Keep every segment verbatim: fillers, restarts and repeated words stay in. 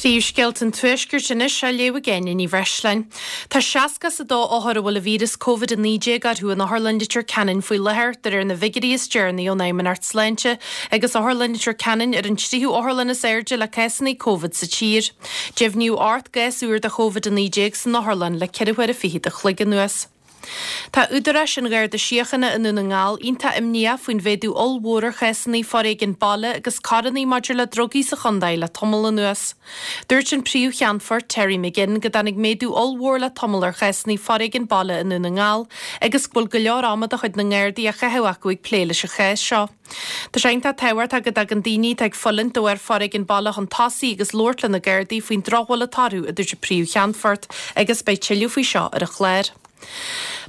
Príomhscéalta an Tuaiscirt anois á léamh ag Áine Ní Bhreisleáin. Tá seasca is a dó othar a bhfuil an víreas Covid a naoi déag orthu in Otharlann Leitir Ceanainn faoi láthair, de réir na bhfigiúirí is deireanaí ón Fheidhmeannacht Sláinte, agus Otharlann Leitir Ceanainn ar an tríú otharlann is airde le cásanna Covid sa tír. Deimhníodh ocht gcás úr de Covid a naoi déag san otharlann le ceithre huaire fichead a chloig anuas. Tá údaráis an Gharda Síochána i nDún na nGall iontach imníoch faoin mhéadú ollmhór ar chásanna foréigin baile agus coireanna maidir le drugaí sa chontae le tamall anuas. Dúirt an príomh-cheannfort Terry McGinn go dtáinig méadú ollmhór le tamall ar chásanna foréigin baile i nDún na nGall agus go bhfuil go leor ama de chuid na nGardaí á chaitheamh acu ag plé leis an chás seo. Tá sé iontach tábhachtach go dtagann daoine atá ag fulaingt de bharr foréigean baile chun tosaigh agus labhairt le na Gardaí faoin drochbhail atá orthu, a dúirt an príomh-cheannfort, agus beidh tuilleadh faoi seo ar an chlár.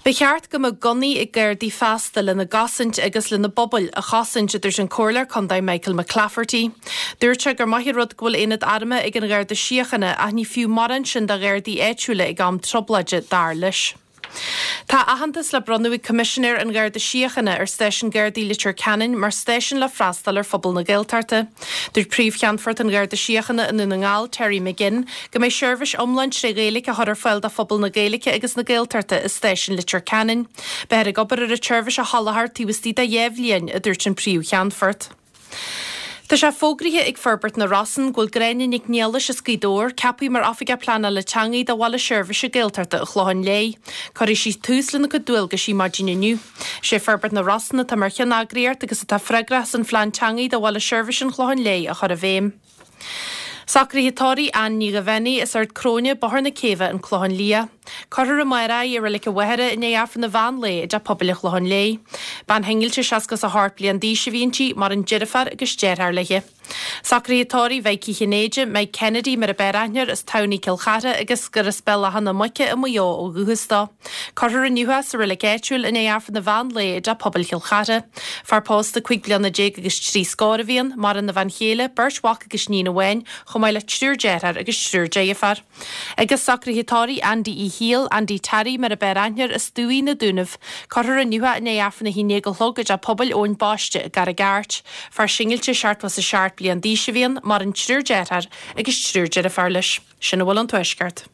Ba cheart go mbeadh gunnaí ag Gardaí feasta lena gcosaint agus lena bpobail a chosaint, a dúirt an Comhairleoir Contae Michael McClafferty. Dúirt sé gur maith an rud go bhfuil aonad armtha ag an Gharda Síochána ach ní fiú mórán sin do Ghardaí áitiúla ag am trioblóide, dar leis. Tá aitheantas le bronnadh ag Coimisinéir an Gharda Síochána ar Stáisiún Gardaí Leitir Ceanainn mar stáisiún le freastal ar phobal na Gaeltachta. Dúirt Príomh-Cheannfort an Gharda Síochána i Ndún na nGall, Terry McGinn, go mbeidh seirbhís iomlán tré Ghaeilge á chur ar fáil do phobal na Gaeilge agus na Gaeltachta i Stáisiún Leitir Ceanainn. Beifear ag obair ar an tseirbhís a sholáthar taobh istigh de dhá bhliain, a dúirt an Príomh-Cheannfort. Tá sé fógraithe ag Forbairt na Rosann go bhfuil Gráinne Nic Niallais as Gaoth Dobhair ceaptha mar Oifigeach Pleanála Teanga do Bhaile Seirbhíse Gaeltachta an Chlocháin Léith. Cuirfidh sí tús lena cuid dualgaisí maidin inniu. Is é Forbairt na Rosann atá mar cheanneagraíocht agus atá freagrach as an Phlean Teanga do Bhaile Seirbhíse an Chlocháin Léith a chur i bhfeidhm. Socruithe tórraimh Ann Ní Dhaibhéanaigh as Ard Cróine, Bóthar na Céibhe, An Clochán Liath. Cuirfear amárach í i Reilig an Mhachaire i ndiaidh Aifreann an mheán lae i dTeach Pobail an Chlocháin Léith. Bean shingilte seasca is a hocht bliain d'aois a bhí inti, maireann deirfiúr agus deartháir léi. Socruithe tórraimh Mhaidhc Uí Chinnéide, Mike Kennedy mar a b'fhearr aithne air, as Tamhnaigh, Cill Chartha agus gur as Béal Átha na Muice i Maigh Eo ó dhúchas dó. Cuirfear inniu é sa reilig áitiúil i ndiaidh Aifreann an mheán lae i dTeach Pobail Chill Chartha. Fear pósta cúig bliana déag agus trí scór a bhí ann, maireann a bhean chéile, beirt mhac agus níon amháin, chomh maith le triúr dearthár agus triúr deirfiúr. Agus socruithe tórraimh Andy Uí Shiail, Andy Terry mar a b'fhearr aithne air, as Dumhaigh, Na Dúnaibh. Cuirfear inniu é i ndiaidh Aifreann a haon déag a chlog i dTeach Pobail Eoin Baiste i gCarraig Airt. Fear singilte seachtó is a seacht bliain d'aois a bhí ann, maireann triúr dearthár agus triúr deirfiúr leis. Sin a bhfuil ón Tuaisceart.